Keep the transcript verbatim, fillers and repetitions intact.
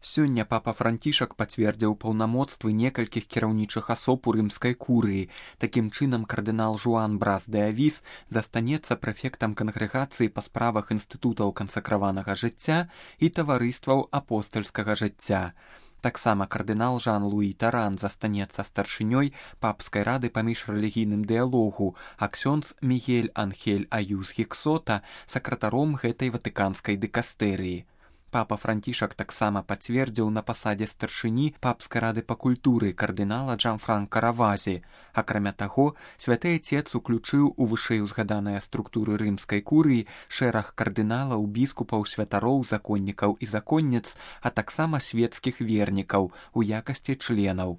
Сёння папа Францішак пацвердзіў паўнамоцтвы некалькіх кіраўнічых асоб у рымскай курыі. Такім чынам кардынал Жуан Брас де Авіс застанецца прэфектам кангрэгацыі па справах інстытутаў кансакраванага жыцця і таварыстваў апостальскага жыцця. Таксама кардынал Жан-Луі Таран застанецца старшынёй папскай рады па міжрэлігійным дыялогу, а ксёндз Мігель Анхель Аюз Гіксота сакратаром гэтай ватыканскай дыкастэрыі. Папа Францішак таксама пацвердзіў на пасадзе старшыні папскай рады па культуры кардынала Джанфранка Равазі. Акрамя таго, святы Ацец уключыў у вышэйузгаданыя структуры рымскай курыі шэраг кардыналаў, біскупаў, святароў, законнікаў і законніц, а таксама свецкіх вернікаў у якасці членаў.